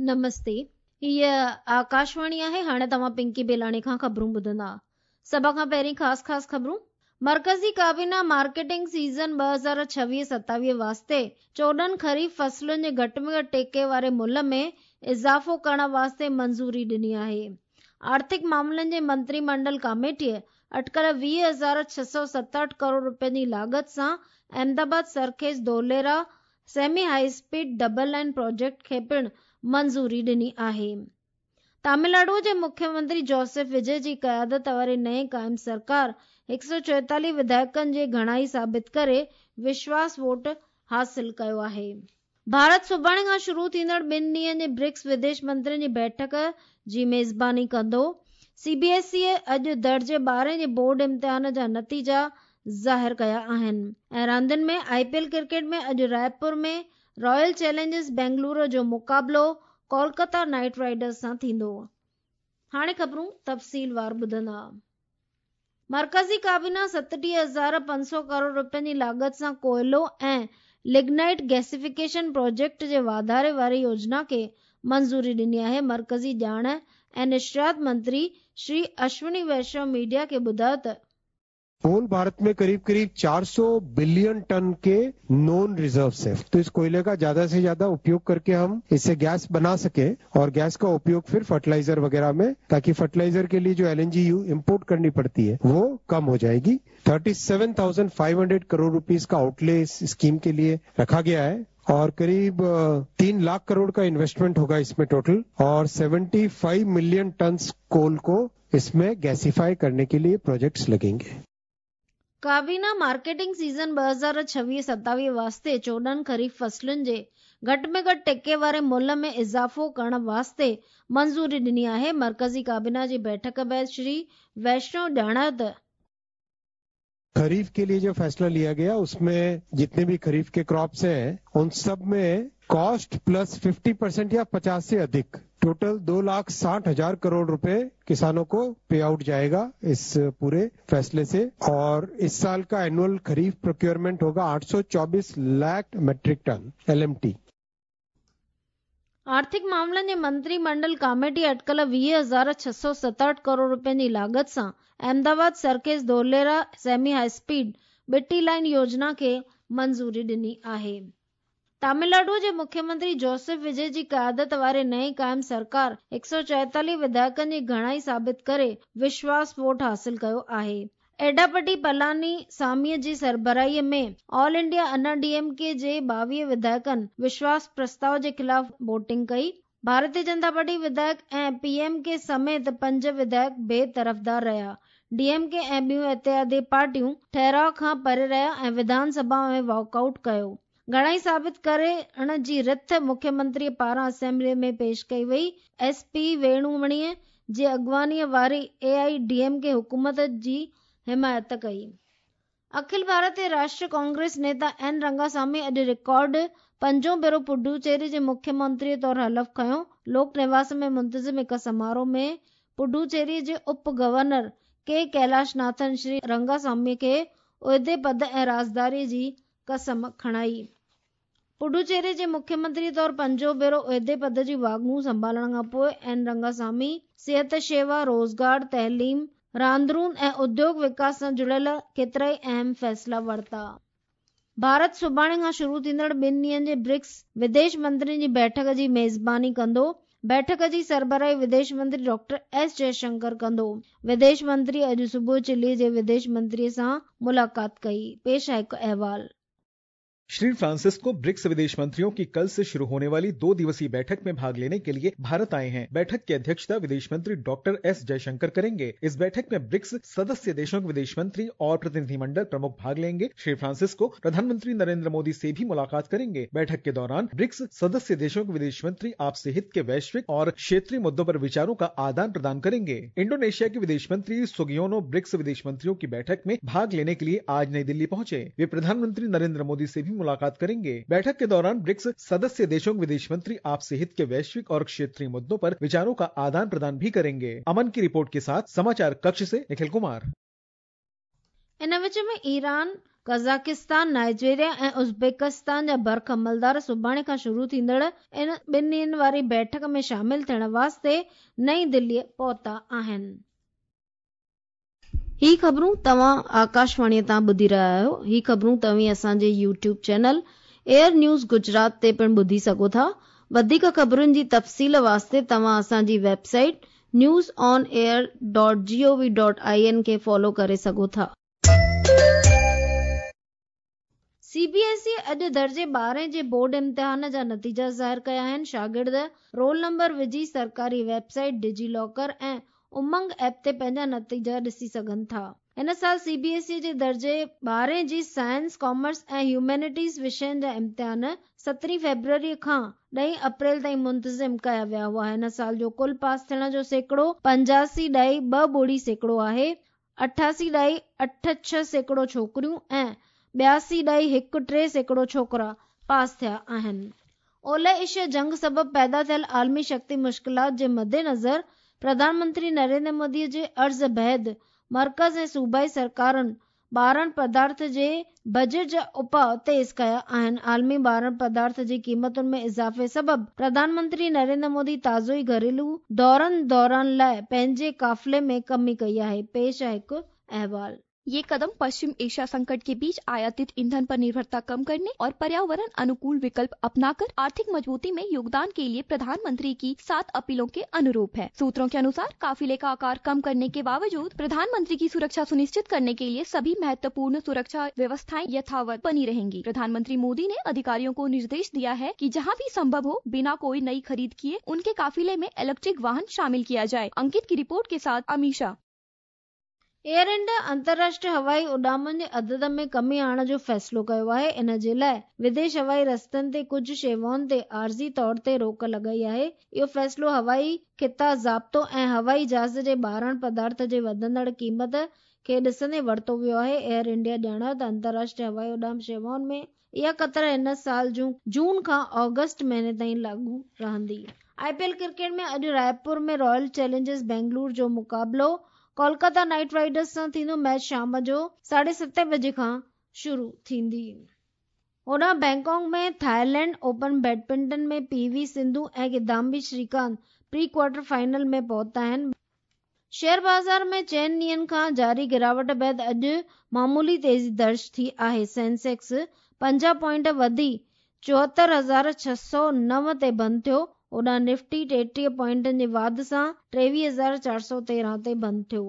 نمستي، هيء آڪاشواڻي آهي، هاڻي توهان پنڪي بيلاڻي کان خبرون ٻڌندا. سڀ کان پهرين خاص خاص خبرون. مرڪزي ڪابينا مارڪيٽنگ سيزن 2026 27 واسطي 14 خريف فصلن جي گهٽ ۾ گهٽ ٽيڪي واري ملهه ۾ اضافو ڪرڻ واسطي منظوري ڏني آهي. آرٿڪ معاملن جي منتري منڊل ڪاميٽيء اٽڪل 20,667 ڪروڙ رپين جي لاڳت سان Ahmed Ahmedabad Sarkhej Dholera semi high speed double line project کي پڻ منظوري ڏني آهي. تامل ناڊو جي مکيه منتري جوسف وجي جي قيادت واري نئين قائم سرڪار 144 وڌايڪن جي گهڻائي ثابت ڪري وشواس ووٽ حاصل ڪيو آهي. ڀارت سڀاڻي کان شروع ٿيندڙ ٻن ڏينهن جي برڪس وديش منترين جي بيٺڪ جي ميزباني ڪندو. سي بي ايس اي اڄ درجي ٻارهين جي بورڊ امتحان جا نتيجا ظاهر ڪيا آهن ۽ راندين ۾ آء پي ايل ڪرڪيٽ ۾ اڄ رائپور ۾ رائل چئلينجرز بينگلورو جو مقابلو ڪولڪتا نائيٽ رائيڊرز سان ٿيندو. هاڻي خبرون تفصيل وار ٻڌندا. مرڪزي ڪابينا 37,500 ڪروڙ رپين جي لاڳت سان ڪوئلو ۽ لگنائيٽ گيسيفڪيشن پروجيڪٽ جي واڌاري واري يوجنا کي منظوري ڏني آهي. مرڪزي ڄاڻ ۽ نشريات منتري شري اشوني ويشنو ميڊيا کي ٻڌايو ته، कोल भारत में करीब करीब 400 बिलियन टन के नॉन रिजर्व्स है, तो इस कोयले का ज्यादा से ज्यादा उपयोग करके हम इससे गैस बना सके और गैस का उपयोग फिर फर्टिलाइजर वगैरह में, ताकि फर्टिलाइजर के लिए जो एलएनजी इंपोर्ट करनी पड़ती है वो कम हो जाएगी। 37,500 करोड़ रुपीस का आउटले इस स्कीम के लिए रखा गया है और करीब 3 लाख करोड़ का इन्वेस्टमेंट होगा इसमें टोटल और 75 मिलियन टन कोल को इसमें गैसीफाई करने के लिए प्रोजेक्ट्स लगेंगे। ڪابينا مارڪيٽنگ سيزن 2026 27 واسطي 14 خريف فصلن جي گهٽ ۾ گهٽ ٽيڪي واري ملهه ۾ اضافو ڪرڻ واسطي منظوري ڏني آهي. مرڪزي ڪابينا جي بيٺڪ بعد شري ويشنو ڄاڻايو ته، खरीफ के लिए जो फैसला लिया गया उसमें जितने भी खरीफ के क्रॉप्स हैं उन सब में कॉस्ट प्लस 50% या 50 से अधिक टोटल 2,60,000 करोड़ रुपए किसानों को पे आउट जाएगा इस पूरे फैसले से। और इस साल का एनुअल खरीफ प्रोक्योरमेंट होगा 824 लाख मेट्रिक टन एलएमटी। آرٿڪ معاملن جي منتري منڊل ڪاميٽي اٽڪل 20,667 ڪروڙ رپين جي لاڳت سان Ahmed Ahmedabad Sarkhej Dholera semi high speed ٻٽي لائين يوجنا کي منظوري ڏني آهي. تامل ناڊو جي مکيه منتري جوسف وجي جي قيادت واري نئين قائم سرڪار 144 وڌايڪن جي گهڻائي ثابت ڪري وشواس ووٽ حاصل ڪيو آهي. ايڊاپٽي پلاني ساميء جي سربراهيء ۾ all India Anna D M K جي 22 وڌايڪن وشواس پرستاء جي خلاف ووٽنگ ڪئي. ڀارتي جنتا پارٽي وڌايڪ ۽ پي ايم ڪي سميت پنج وڌايڪ بي طرفدار رهيا. ڊي ايم ڪي ۽ ٻيون اتحادي پارٽيون ٺهراء کان پري رهيا ۽ وڌان سڀا ۾ واڪ آئوٽ ڪيو. گهڻائي ثابت ڪرڻ جي رٿ مکيه منتريء پاران اسيمبليء ۾ پيش ڪئي وئي. ايس پي ويڻومڻيء جي اڳواڻيء واري اي I D M K حڪومت جي حمايت ڪئي. اکل ڀارتي راشٽريه ڪانگريس نيتا اين رنگاسامي اڄ رڪارڊ پنجون ڀيرو پڊوچيري جي مکيه منتريء طور حلف کنيو. لوڪ نواس ۾ منتظم هڪ سماروهه ۾ پڊوچيري جي اپ governor K Kailashnathan Shri Rangasamy کي عهدي، پد ۽ رازداريء جي قسم کڻائي. پڊوچيري جي مکيه منتري طور پنجون ڀيرو عهدي پد جون واڳون سنڀالڻ کان پوء اين رنگاسامي صحت شيوا، روزگار، تعليم، راندرون ۽ اديوگ وڪاس سان جڙيل ڪيترائي اهم فيصلا ورتا. ڀارت سڀاڻي کان شروع ٿيندڙ ٻن ڏينهن جي برڪس وديش منترين جي بيٺڪ جي ميزباني ڪندو. بيٺڪ جي سربراهي وديش منتري ڊاڪٽر ايس جئشنڪر ڪندو. وديش منتري اڄ صبح چلي جي وديش منتري سان ملاقات ڪئي. پيش آهي هڪ احوال. श्री फ्रांसिस्को ब्रिक्स विदेश मंत्रियों की कल से शुरू होने वाली 2 दिवसीय बैठक में भाग लेने के लिए भारत आए हैं। बैठक की अध्यक्षता विदेश मंत्री डॉक्टर एस जयशंकर करेंगे। इस बैठक में ब्रिक्स सदस्य देशों के विदेश मंत्री और प्रतिनिधिमंडल प्रमुख भाग लेंगे। श्री फ्रांसिस्को प्रधानमंत्री नरेंद्र मोदी से भी मुलाकात करेंगे। बैठक के दौरान ब्रिक्स सदस्य देशों के विदेश मंत्री आपसी हित के वैश्विक और क्षेत्रीय मुद्दों पर विचारों का आदान प्रदान करेंगे। इंडोनेशिया के विदेश मंत्री सुगियोनो ब्रिक्स विदेश मंत्रियों की बैठक में भाग लेने के लिए आज नई दिल्ली पहुंचे। वे प्रधानमंत्री नरेंद्र मोदी से भी मुलाकात करेंगे। बैठक के दौरान ब्रिक्स सदस्य देशों के विदेश मंत्री आपसी हित के वैश्विक और क्षेत्रीय मुद्दों पर विचारों का आदान प्रदान भी करेंगे। अमन की रिपोर्ट के साथ समाचार कक्ष से निखिल कुमार। इन विच में ईरान قزاقستان، نائيجيريا ۽ ازبڪستان جا برک عملدار سڀاڻي کان شروع ٿيندڙ ان ٻن ڏينهن واري بيٺڪ ۾ شامل ٿيڻ واسطي نئين دهليء پهتا آهن. هي خبرون توهان آڪاشواڻيء تان ٻڌي رهيا آهيو. هي خبرون توهين اسان جي YouTube channel air news Gujarat تي پڻ ٻڌي سگهو ٿا. وڌيڪ خبرن جي تفصيل واسطي توهان اسان جي website news on air dot G O V dot I N کي فالو ڪري سگهو ٿا. سي بي ايس اي اڄ درجي ٻارهين جي بورڊ امتحان جا نتيجا ظاهر ڪيا آهن. شاگرد رول نمبر وجهي سرڪاري ويب سائيٽ ڊجي لاڪر ۽ امنگ ايپ تي پنهنجا نتيجا ڏسي سگهن ٿا. هن سال سي بي ايس اي جي درجي ٻارهين جي سائنس، ڪامرس ۽ هيومينٽيز وشين جا امتحان سترهين فيبروري کان ڏهين اپريل تائين منتظم ڪيا ويا هئا. هن سال جو ڪل پاس ٿيڻ جو سيڪڙو پنجاسي ڏهائي ٻه ٻڙي سيڪڙو آهي. اٺاسي ڏهائي اٺ ڇهه سيڪڙو ڇوڪريون ۽ ٻياسي ڏهائي هڪ ٽي سيڪڙو ڇوڪرا پاس ٿيا آهن. اولهه ايشيا جنگ سبب پيدا ٿيل عالمي شڪتي مشڪلات جي مدنظر پرڌان منتري نريندر مودي جي عرض بعد مرڪز ۽ صوبائي سرڪارن ٻارڻ پدارٿ جي بجيٽ جا اپاء تيز ڪيا آهن. عالمي ٻارڻ پدارٿ جي قيمتن ۾ اضافي سبب پرڌان منتري نريندر مودي تازو ئي گهريلو دورن دوران لاء پنهنجي قافلي ۾ ڪمي ڪئي آهي. پيش آهي هڪ احوال. ये कदम पश्चिम एशिया संकट के बीच आयातित ईंधन पर निर्भरता कम करने और पर्यावरण अनुकूल विकल्प अपनाकर आर्थिक मजबूती में योगदान के लिए प्रधानमंत्री की 7 अपीलों के अनुरूप है। सूत्रों के अनुसार काफिले का आकार कम करने के बावजूद प्रधानमंत्री की सुरक्षा सुनिश्चित करने के लिए सभी महत्वपूर्ण सुरक्षा व्यवस्थाएं यथावत बनी रहेंगी। प्रधानमंत्री मोदी ने अधिकारियों को निर्देश दिया है कि जहां भी संभव हो बिना कोई नई खरीद किए उनके काफिले में इलेक्ट्रिक वाहन शामिल किया जाए। अंकित की रिपोर्ट के साथ अमीषा। एयर इंडिया अंतर्राष्ट्रीय हवाई उॾामनि जे अदद में कमी आणण जो फ़ैसिलो कयो आहे। इन जे लाइ विदेश हवाई रस्तनि ते कुझु शेवाउनि ते आर्ज़ी तौर ते रोक लॻाई आहे। इहो फ़ैसिलो हवाई ख़िता ज़ाब्तो ऐं हवाई जहाज़ जे ॿारण पदार्थ जे वधंदड़ क़ीमत खे ॾिसंदे वरितो वियो आहे। एयर इंडिया ॼाणायो त अंतर्राष्ट्रीय हवाई उॾाम शेवाउनि में इहा कतर हिन साल जून खां ऑगस्ट महीने ताईं लागू रहंदी। आईपीएल क्रिकेट में अॼु रायपुर में रॉयल चैलेंजर्स बेंगलुरु जो मुक़ाबिलो कोलकाता नाइट राइडर्स सां थींदो। मैच शाम जो 7:30 बजे खां शुरू थींदी। होॾां बैंकॉक में थाईलैंड ओपन बैडमिंटन में पीवी सिंधु ऐं Kidambi Srikanth pre quarter final में पहुता आहिनि। शेयर बाज़ार में चइनि ॾींहनि खां जारी गिरावट बाद अॼु मामूली तेज़ी दर्ज थी आहे। सेंसेक्स 50 पॉइंट वधी 74,609 ते बंदि थियो। होॾां निफ्टी 33 पॉइंटनि जे वाध सां 23,413 ते बंदि थियो।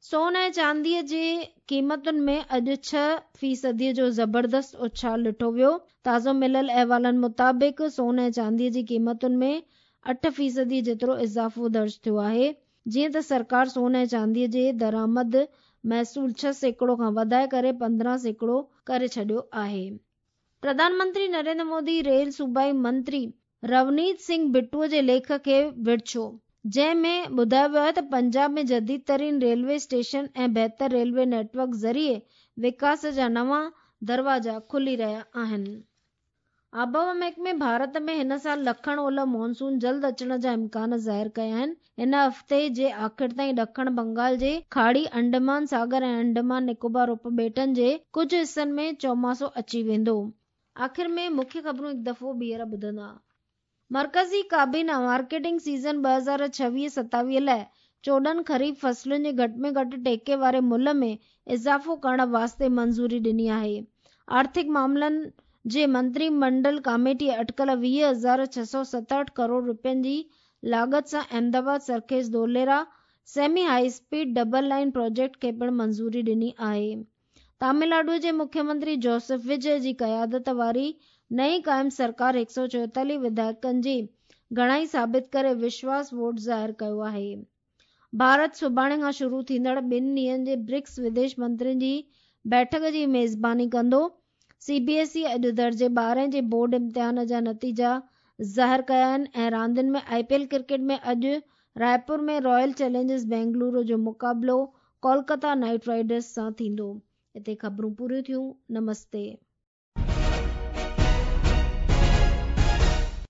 सोन ऐं चांदीअ जे क़ीमतुनि में अॼु 6% जो ज़बरदस्त उछाल ॾिठो वियो। ताज़ो मिलियल अहवालनि मुताबिक़ सोन ऐं चांदीअ जी क़ीमतुनि में 8% जेतिरो इज़ाफ़ो दर्ज थियो आहे। जीअं त सरकार सोन ऐं चांदीअ जे दरामद महसूल 6% खां वधाए करे 15% करे छॾियो आहे। प्रधानमंत्री नरेंद्र मोदी रेल सूबाई मंत्री रवनीत सिंह बिट्टूअ जे लेख खे विर्छो, जंहिं में ॿुधायो वियो आहे त पंजाब में जदीद तरीन रेलवे स्टेशन ऐं बहितर रेलवे नेटवर्क ज़रिए विकास जा नवां दरवाज़ा खुली रहिया आहिनि। आबहवा महकमे भारत में हिन साल ॾखण ओलह मानसून जल्द अचण जा इम्कान ज़ाहिर कया आहिनि। हिन हफ़्ते जे आख़िर ताईं ॾखण बंगाल जे खाड़ी, अंडमान सागर ऐं अंडमान निकोबार उपॿेटनि जे कुझु हिसनि में चौमासो अची वेंदो। आख़िर में मुख्य ख़बरूं हिकु दफ़ो ॿीहर ॿुधंदा। मर्कज़ी काबीना मार्केटिंग सीज़न 2026-27 लाइ 14 खरीफ फसलुनि जे घटि में घटि टेके वारे मुल्ह में इज़ाफ़ो करण वास्ते मंज़ूरी ॾिनी आहे। आर्थिक मामलनि जे मंत्रीमंडल कमेटीअ अटकल 20,667 करोड़ रुपयनि जी लागत सां Ahmedabad Sarkhej Dholera semi high speed double line project खे पिणु मंज़ूरी ॾिनी आहे। तमिलनाडु जे मुख्यमंत्री जोसेफ विजय जी क़यादत वारी नई क़ाइम सरकार 144 विधायकनि जी घणाई साबित करे विश्वास वोट ज़ाहिर कयो आहे। भारत सुभाणे खां शुरू थींदड़ ॿिनि ॾींहनि जे ब्रिक्स विदेश मंत्रियुनि जी बैठक जी मेज़बानी कंदो। सीबीएसई अॼु दर्जे 12 जे बोर्ड इम्तिहान जा नतीजा ज़ाहिर कया आहिनि। ऐं रांदियुनि में आईपीएल क्रिकेट में अॼु रायपुर में रॉयल चैलेंजर्स बेंगलुरु जो मुक़ाबिलो कोलकाता नाइट राइडर्स सां थींदो। हिते ख़बरूं पूरियूं थियूं। नमस्ते।